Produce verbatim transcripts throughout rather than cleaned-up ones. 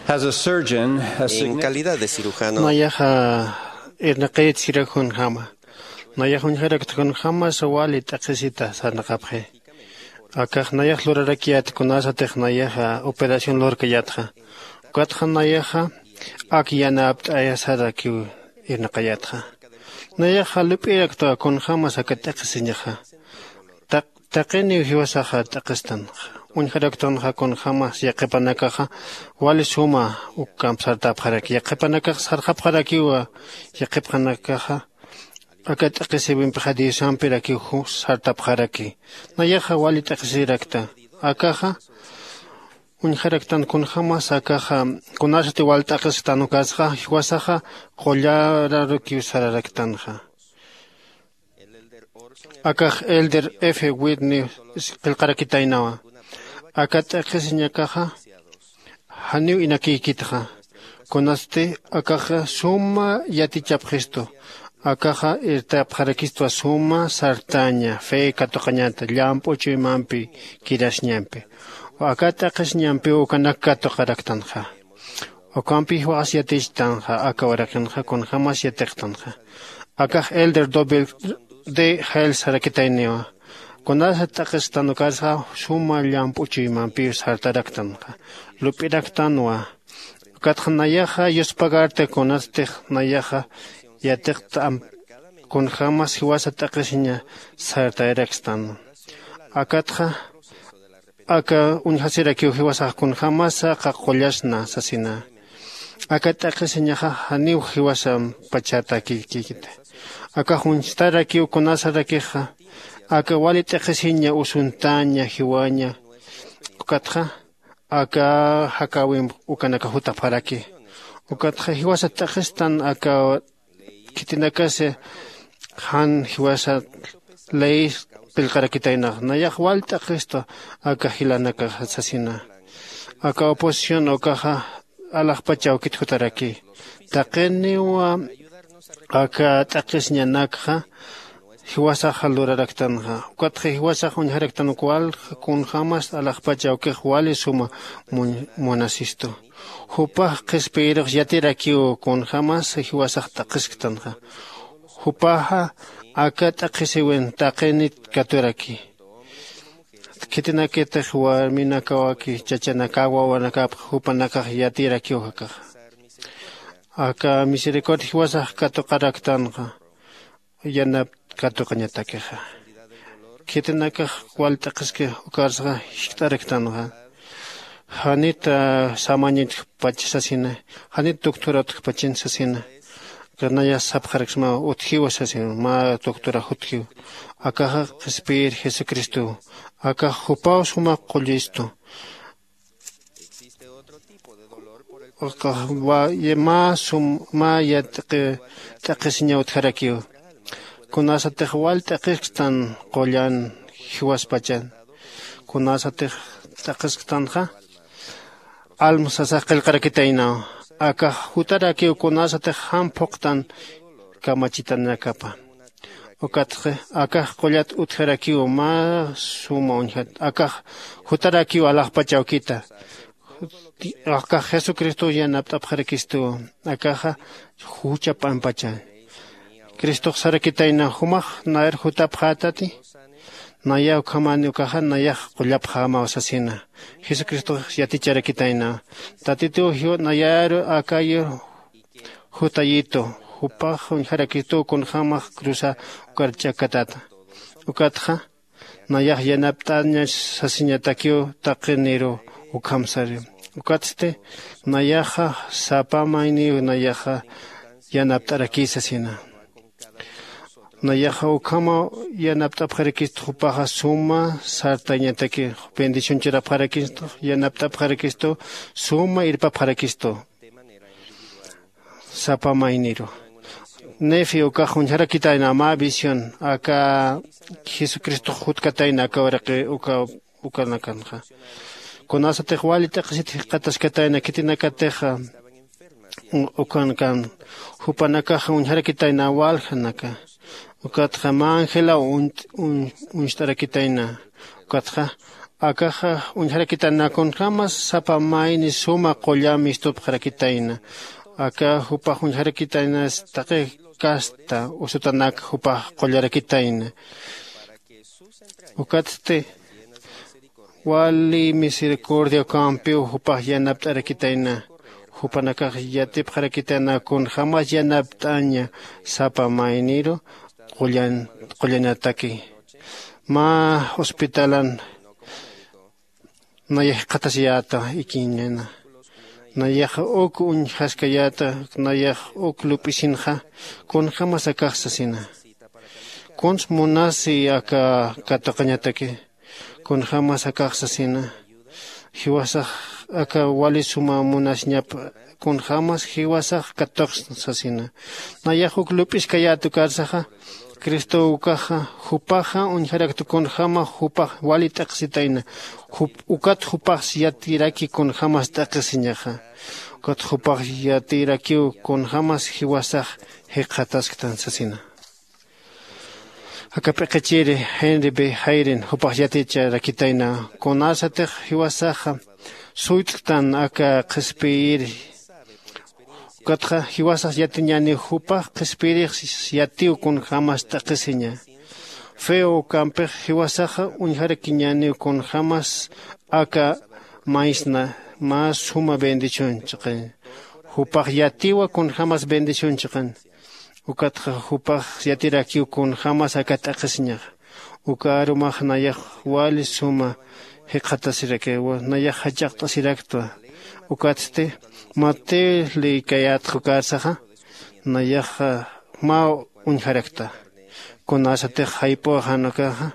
As a surgeon, a En significant calidad de cirujano, nayaxa irnaqayat sirakjunjama. Nayax uñjarakta kunjämasa wali t'aqhisita sarnaqapxi. Akax nayax lurarakiyät kunasatix nayaxa operación lurkayätxa. Ukatxa nayaxa ak yanapt'ayasarakiw irnaqayätxa. Nayaxa lup'iraktwa kunjämas aka t'aqhisiñaxa. Taq taqiniw jiwasaxa t'aqhistanxa. Uñjaraktanxa kunjämas yaqhipanakaxa wali suma ukkamp sartapxaraki yaqhipanakax sarxapxarakiwa. Yaqhipxanakaxa aka t'aqhisiwimpixa diosampirakiw sartapxaraki. Nayaxa wali t'aqhisirakta. Akaxa uñjaraktan kunjämas akaxa kunasati wal t'aqhisktan ukasxa jiwasaxa qullararukiw sararaktanxa. Akax elder f whitney qillqarakitaynawa. Aka t'aqhisiñakaxa janiw inakïkitxa. Kunasti akaxa suma yatichapxistu. Akaxa irtapxarakistwa suma sartaña fe katuqañata llamp'u chuymampi kirasiñampi. Aka t'aqhisiñampiw ukanak katuqaraktanxa. Ukampi jiwaxas yatichtanxa aka uraqinxa kunjämas yatiqtanxa. Akax elder doble de jail sarakitayniwa. Kunasa t'aqhisktan ukasxa suma llamp'u chuymampiw sartaraktanxa. Lup'iraktanwa. Ukatxa nayaxa yuspagarta kunastix nayaxa yatiqta amp kunjämas jiwasa t'aqhisiña sartayarakstan. Akatxa aka uñjasirakiw jiwasax kunjämasa qaqullasna sasina. Aka t'aqhisiñaxa janiw jiwasampachatäkikiti. Akax uñstarakiw kunasarakixa aka wali t'aqhisiña usuntaña jiwaña. Ukatxa aka jakäwimp ukanaka jutapxaraki. Ukatxa jiwasa t'aqhistan aka khitinakasa jan jiwasa ley qillqarakitaynax nayax wal t'aqhistu. Aka jilanakaxa sasina aka oposición ukaxa alaxpach awkit jutaraki. Taqiniwa aka t'aqhisiñanakxa jiwasaxa luraraktanxa. Ukatxa jiwasax uñjaraktan uk wal kunjämas alaxpach awkix wali suma munasistu. Jupax qhispiyirux yatirakiw kunjämas jiwasax t'aqhisktanxa. Jupaxa aka t'aqhisiwin taqinit katuraki. Khitinakitix warminakawaki chachanakaw wawanakapx jupanakax yatirakiw jakaxa. Aka misericordia jiwasax katuqaraktanxa yanap katuqañatakixa. Khitinakax wal t'aqhiski ukarsaxa jiskt'araktanxa. Janit samañitjpach sasina. Janit doctora utjpachin sasina. Kanaya sapxaraksma utjiwa sasina mä doctora jutjiw. Akaxa qhispiyir jesucristow. Akax jupaw suma qullistu. Mä sum mä yat'aqi t'aqhisiña utjarakiw. Kunasatix wal t'aqhisktan qullan jiwaspachan kunasatix t'aqhisktanxa alma sasax qillqarakitaynaw. Akax jutarakiw kunasatix jan phuqtan kamachitanakapa. Ukatxa akax qullat utjarakiw mä suma uñjat akax jutarakiw alaxpach awkita. Akax jesucristow yanapt'apxarakistuw. Akaxa jucha p'ampacha cristox sarakitayna jumax nayar jutapxätati. Naya ukhamäni ukaxa nayax qullapxämaw sasina. Jesucristox yaticharakitayna tatituw jiw nayaru akayur jutayitu. Jupax uñjarakituw kunjämax cruza ukar ch'akatata. Ukatxa nayax yanapt'aña sasiñatakiw taqiniru ukham sari. Ukatsti nayaxa sapa mayniw nayaxa yanapt'arakï sasina. Nayaxa ukhamaw yanapt'apxarakistux jupaxa suma sartañataki bendición churapxarakistux yanapt'apxarakistu suma irpapxarakistu. Sapa mayniru nefi ukax uñjarakitayna mä visión aka jesucristox jutkatayna aka uraqi uka ukanakanxa. Kunasatix wali t'aqhisit jikxataskatayna khitinakatixa ukanakan jupanakaxa uñjarakitayna waljanaka. Ukatxa mä angelaw uñt'arakitayna. Ukatxa Akaxa uñjarakitana kunjämas sapa mayni suma qullam mistupxarakitayna. Aka jupax uñjarakitaynas taqi kasta usutanak jupax qullarakitayna. Ukatsti wali misericordia ukampiw jupax yanapt'arakitayna. Jupanakax yatipxarakitayna kunjämas yanapt'aña sapa mayniru qullan qullanataki. Mä hospitalan nayax jikxatasiyäta ikiñana. Nayax uk uñjaskayäta. Nayax uk lup'isinxa kunjämas akax sasina. Kuns munasi aka katuqañataki kunjämas akax sasina. Jiwasax aka wali suma munasiñap kunjämas jiwasax katuqsna sasina. Nayax uk lup'iskayät ukarsaxa cristo ukaxa jupaxa uñjarakta kunjäma jupax wali t'aqhisitayna. Ukat jupax yatiraki kunjämas t'aqhisiñaxa. Ukat jupax yatirakiw kunjämas jiwasax jikxatasktan sasina. Aka p'iqichiri henry b jairin jupax yaticharakitayna kunasatix jiwasaxa suyt'ktan aka qhispiyiri. Ukatxa jiwasax yatiñäniw jupax qhispiyirix yatiw kunjämas t'aqhisiña. Feo ukampix jiwasaxa uñjarakiñäniw kunjämas aka maysna mä suma bendición chiqañ. Jupax yatiwa kunjämas bendición chiqañ. Ukatxa jupax yatirakiw kunjämas aka t'aqhisiñaxa. Uka arumax nayax wali suma jikxatasirakiwa nayax jach'aqt'asiraktwa. Ukatsti mateo leykayätxa ukarsaxa nayaxa mä uñjarakta. Kunasatix jayp'uxan ukaxa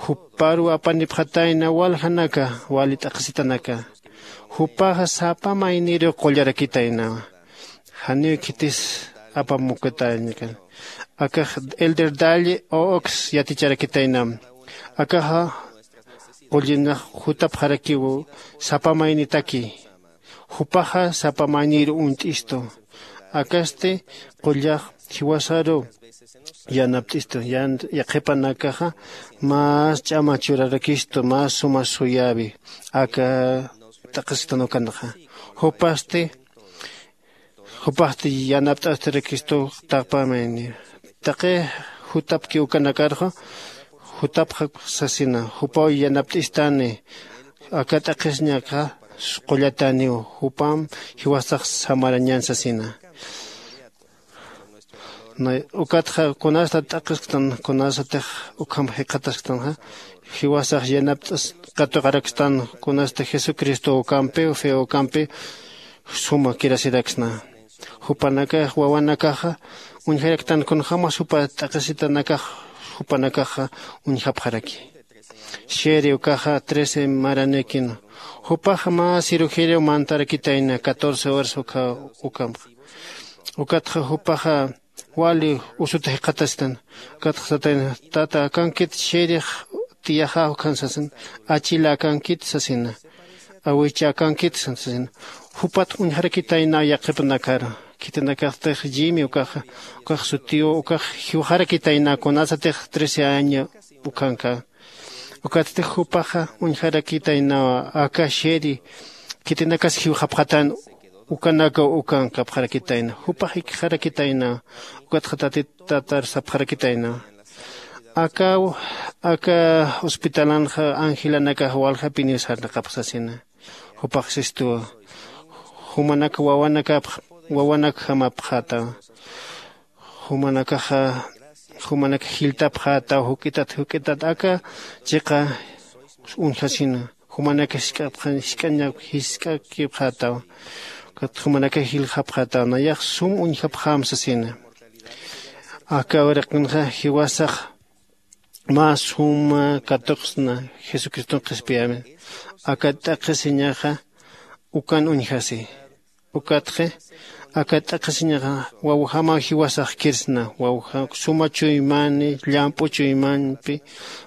juparuw apanipxatayna waljanaka wali t'aqhisitanaka. Jupaxa sapa mayniru qullarakitaynawa. Janiw khitis apamukatäñakan. Akax elder dalle ox yaticharakitaynam. Akaxa qullinax jutapxarakiw sapa maynitaki. Jupaxa sapa maynir uñt'istu. Akasti qullax jiwasaru yanapt'istu. Yaqhipanakaxa mas ch'ama churarakistu mas suma suyäwi aka t'aqhisitan ukanxa. Jupasti jupaxti yanapt'astirakistu. Taqpamayni taqi jutapki ukanakarxa jutapxak sasina. Jupaw yanapt'istani aka t'aqhisiñakxa qullataniw. Jupam jiwasax samarañan sasina. Ukatxa kunasta t'aqhisktan kunasatix ukham jikxatasktanxa jiwasax yanapt'as katuqarakstan. Kunasta jesucristo ukampiw fe ukampi suma kirasiraksna. Jupanakax wawanakaxa uñjaraktan kunjämas jupa t'aqhisitanakax jupanakaxa uñjapxaraki. Sheri ukaxa trece maranïkina. Jupaxa mä cirugeriaw mantarakitayna catorce horas ukha ukamxa. Ukatxa jupaxa wali usuta jikxatastan. Ukatxa satayna tata akankit sherix tiyaxaw ukhan sasin. Achila akankit sasina. Awicha akankit sasina. Jupat uñjarakitayna yaqhipanakar khitinakaxtix llimi ukaxa ukax sutiw ukax jiwxarakitayna kunasatix trece año ukhanka. Ukatsti jupaxa uñjarakitaynawa aka sheri khitinakas jiwxapxatan. Ukanakaw ukankapxarakitayna jupax jikxarakitaynawa. Ukatxa tatit tatar sapxarakitaynawa. Akaw aka hospitalanxa angelanakax waljapiniw sarnaqapxsasina. Jupax sistuwa jumanak wawanakapx wawanakjamapxätawa. Jumanakaxa jumanak jiltapxätaw juk'itat juk'itat aka chiqa uñjasina. Jumanak jisk'apxan jisk'añap jisk'akipxätaw. Ukat jumanak jiljapxätaw nayax sum uñjapxäm sasina. Aka uraqinxa jiwasax mä suma katuqsna jesucriston qhispiyämi. Aka t'aqhisiñaxa ukan uñjasi. Ukatxi aka t'aqhisiñaxa wawjamaw jiwasax kirsna wawja suma chuymani llamp'u chuymanpi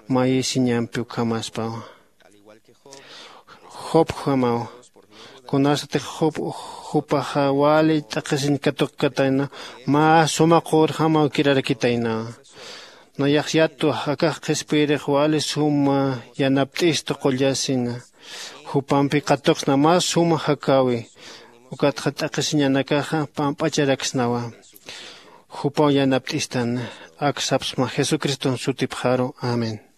mayisiñampi ukhamaspawa. Jobjamaw kunasatix job jupaxa wali t'aqhisiñ katuqkatayna mä suma qurjamaw kirarakitaynawa. Nayax yatwa akax qhispiyirix wali suma yanapt'istu qullasina. Jupampi katuqsna mä suma jakäwi. Ukatxa t'aqhisiñanakaxa pamp'acharaksnawa. Jupaw yanapt'istan. Ak sapsma jesucriston sutipxaru. Amén.